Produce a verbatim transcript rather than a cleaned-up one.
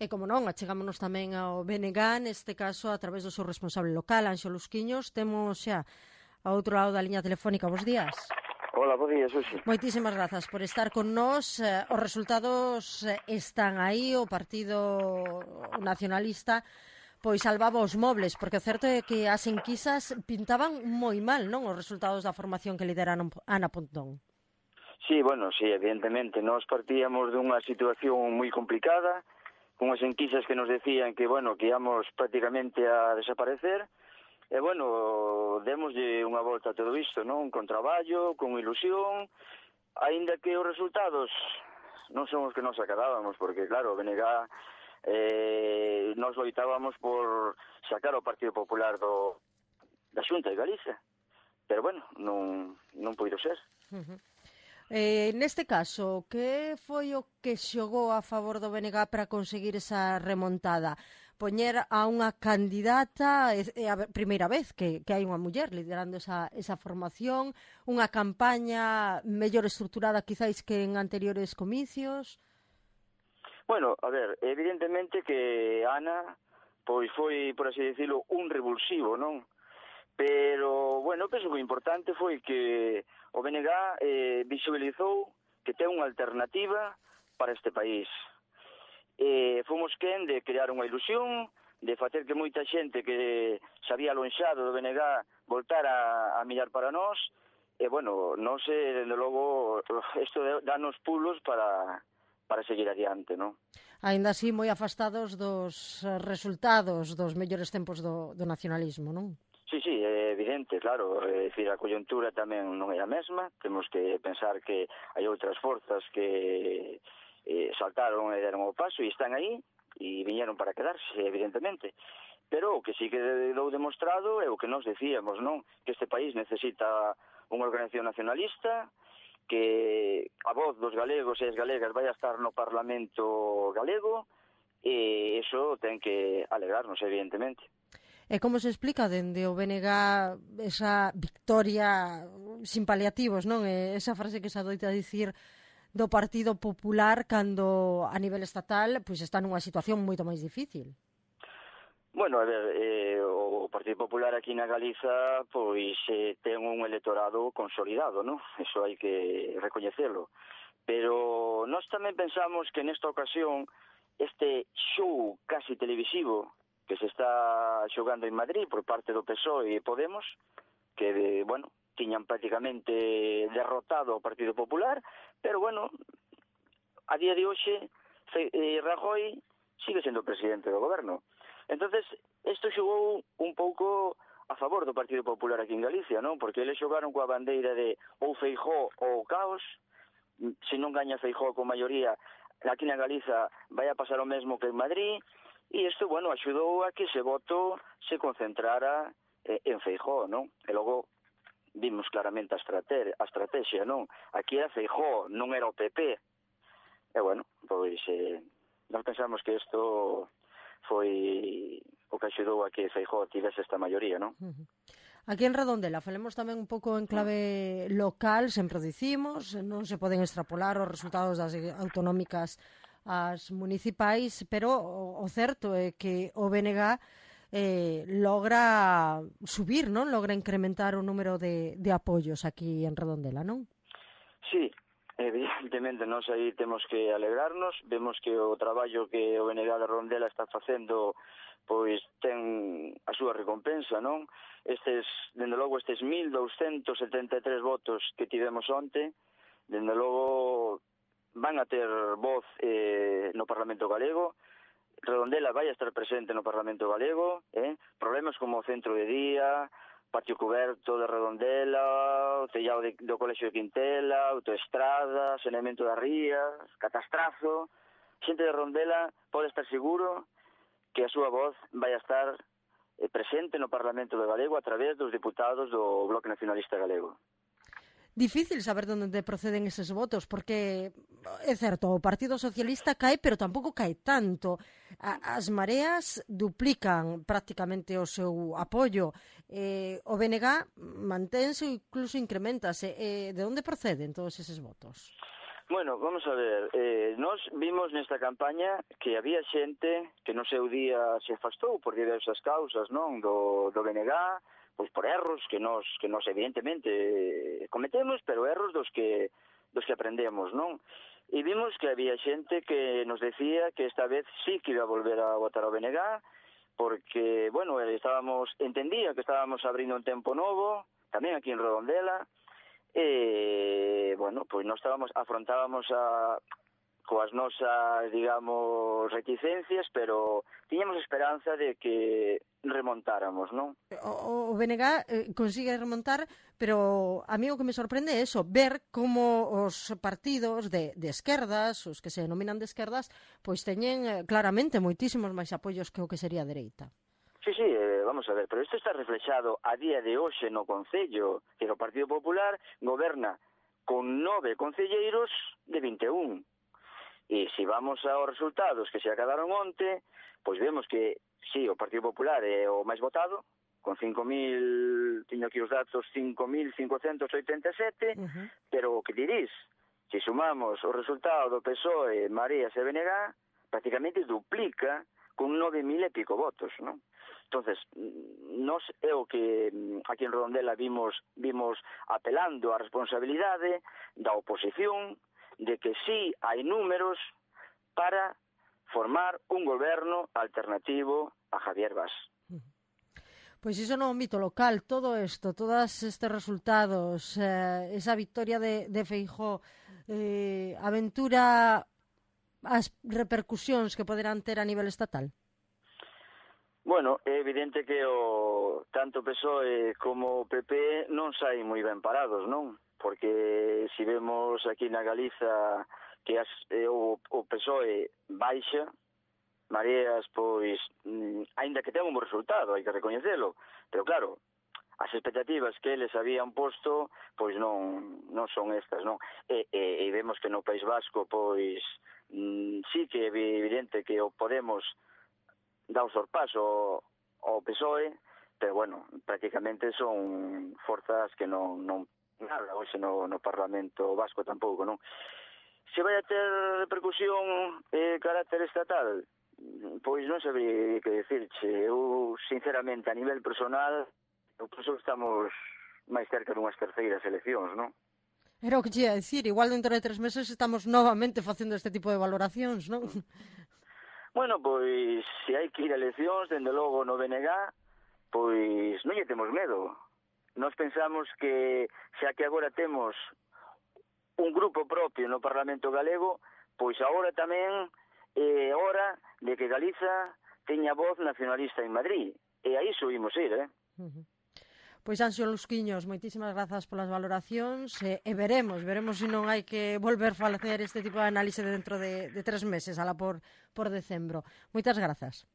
E como non, achegámonos tamén ao B N G, neste caso a través do seu responsable local, Anxo Lusquiños. Temos xa ao outro lado da liña telefónica. Bos días. Hola, bos días, Susi. Moitísimas grazas por estar con nós. Eh, os resultados están aí, o Partido Nacionalista pois salvaba os mobles, porque o certo é que as enquisas pintaban moi mal, non, os resultados da formación que lideraron Ana Pontón. Sí, bueno, sí, evidentemente, nós partíamos dunha situación moi complicada, unhas enquisas que nos decían que, bueno, que íamos prácticamente a desaparecer, e, bueno, demoslle unha volta a todo isto, non? Con traballo, con ilusión, aínda que os resultados non son os que nos acadábamos, porque, claro, o B N G, eh, nos loitábamos por sacar o Partido Popular do, da Xunta de Galicia, pero, bueno, non, non poido ser. Uh-huh. Eh, neste caso, que foi o que xogou a favor do B N G para conseguir esa remontada? Poñer a unha candidata, é a primeira vez que, que hai unha muller liderando esa, esa formación, unha campaña mellor estruturada quizáis que en anteriores comicios? Bueno, a ver, evidentemente que Ana pois foi, por así decirlo, un revulsivo, non? Pero, bueno, penso que o importante foi que o B N G eh, visualizou que ten unha alternativa para este país. Eh, fomos quen de crear unha ilusión, de facer que moita xente que se había alonxado do B N G voltara a mirar para nós, e, bueno, non sei, dende logo, isto danos pulos para, para seguir adiante, non? Ainda así, moi afastados dos resultados dos mellores tempos do, do nacionalismo, non? Sí, sí, é evidente, claro, é dicir, a coyuntura tamén non é a mesma, temos que pensar que hai outras forzas que eh, saltaron e deron o paso e están aí e viñeron para quedarse, evidentemente, pero o que sí que dou demostrado é o que nos decíamos, non? Que este país necesita unha organización nacionalista, que a voz dos galegos e as galegas vai a estar no Parlamento galego e iso ten que alegrarnos, evidentemente. E como se explica dende o B N G esa victoria sin paliativos, non? E esa frase que se adoita a dicir do Partido Popular cando a nivel estatal pois está nunha situación moito máis difícil. Bueno, a ver, eh, o Partido Popular aquí na Galiza pois eh, ten un electorado consolidado, non? Eso hai que recoñecelo. Pero nós tamén pensamos que nesta ocasión este show casi televisivo que se está xogando en Madrid por parte do P S O E e Podemos, que, bueno, tiñan prácticamente derrotado ao Partido Popular, pero, bueno, a día de hoxe, eh, Rajoy sigue sendo presidente do goberno. Entonces, isto xogou un pouco a favor do Partido Popular aquí en Galicia, non? Porque eles xogaron coa bandeira de ou Feijóo ou caos, se non gaña Feijóo con maioría, aquí na Galiza vai a pasar o mesmo que en Madrid. E isto, bueno, axudou a que ese voto se concentrara eh, en Feijóo, non? E logo vimos claramente a, estrate a estrategia, non? Aquí era Feijóo, non era o P P. E, bueno, pois, eh, nós pensamos que isto foi o que axudou a que Feijóo tivese esta maioría, non? Uh-huh. Aquí en Redondela, falemos tamén un pouco en clave local, sempre o dicimos, non se poden extrapolar os resultados das autonómicas as municipais, pero o, o certo é que o B N G eh, logra subir, non? Logra incrementar o número de, de apoios aquí en Redondela, non? Sí, evidentemente nós aí temos que alegrarnos, vemos que o traballo que o B N G de Redondela está facendo pois ten a súa recompensa, non? Estes, dende logo, estes mil douscentos setenta e tres votos que tivemos onte, dende logo van a ter voz eh, no Parlamento Galego. Redondela vai a estar presente no Parlamento Galego, eh? Problemas como o centro de día, patio coberto de Redondela, o tellado de, do Colexio de Quintela, autoestrada, saneamento das rías, catastrazo. Xente de Redondela pode estar seguro que a súa voz vai a estar eh, presente no Parlamento de Galego a través dos diputados do Bloque Nacionalista Galego. Difícil saber onde proceden eses votos, porque é certo, o Partido Socialista cae, pero tampouco cae tanto. A, as mareas duplican prácticamente o seu apoio. Eh, o B N G mantense ou incluso incrementase. Eh, de onde proceden todos eses votos? Bueno, vamos a ver, eh, nós vimos nesta campaña que había xente que no seu día se afastou por diversas causas, non, do, do B N G, pois por erros que nós, que nós evidentemente cometemos, pero erros dos que, dos que aprendemos, non? E vimos que había xente que nos decía que esta vez sí que iba a volver a votar ao B N G, porque, bueno, estábamos, entendía que estábamos abrindo un tempo novo, tamén aquí en Redondela, e, bueno, pois nós estábamos, afrontábamos a, coas nosas, digamos, reticencias, pero tiñamos esperanza de que remontáramos, non? O, o B N G eh, consigue remontar, pero a mí o que me sorprende é eso, ver como os partidos de, de esquerdas, os que se denominan de esquerdas, pois teñen eh, claramente moitísimos máis apoios que o que sería a dereita. Sí, sí, eh, vamos a ver, pero isto está reflexado a día de hoxe no Concello, que o Partido Popular goberna con nove concelleiros de vinte e un. E se vamos aos resultados que se acabaron onte, pois vemos que, sí, o Partido Popular é o máis votado, con cinco mil, teño aquí os datos, cinco mil cincocentos oitenta e sete, uh-huh. Pero o que dirís, se sumamos o resultado do P S O E, Mareas e B N G, prácticamente duplica con nove mil e pico votos, non? Entonces, nos é o que aquí en Redondela vimos vimos apelando á responsabilidade da oposición de que sí hai números para formar un goberno alternativo a Javier Bas. Pois iso no ámbito local, todo isto, todos estes resultados, eh, esa victoria de, de Feijóo, eh, aventura as repercusións que poderán ter a nivel estatal? Bueno, é evidente que o tanto P S O E como o P P non saen moi ben parados, non? Porque se vemos aquí na Galiza que as, eh, o, o P S O E baixa, Mareas, pois, mm, aínda que ten un bo resultado, hai que recoñecelo, pero claro, as expectativas que eles habían posto, pois non non son estas, non? E, e, e vemos que no País Vasco, pois, mm, sí que é evidente que o Podemos dá o sorpaso ao P S O E, pero, bueno, prácticamente son forzas que non, non nada, hoxe no, no Parlamento Vasco tampouco, non? Se vai a ter repercusión e eh, carácter estatal, pois non sabría que decirche. Eu, sinceramente, a nivel personal, eu penso que estamos máis cerca dunhas terceiras eleccións, non? Era o que te ia dicir, igual dentro de tres meses estamos novamente facendo este tipo de valoracións, non? Bueno, pois, se hai que ir a eleccións, dende logo no B N G, pois non lle temos medo. Nós pensamos que, xa que agora temos un grupo propio no Parlamento Galego, pois agora tamén é hora de que Galiza teña voz nacionalista en Madrid. E aí subimos ir, eh? Uh-huh. Pois, Anxo Lusquiños, moitísimas grazas polas valoracións e, e veremos, veremos se non hai que volver a facer este tipo de análise dentro de, de tres meses, ala por, por decembro. Moitas grazas.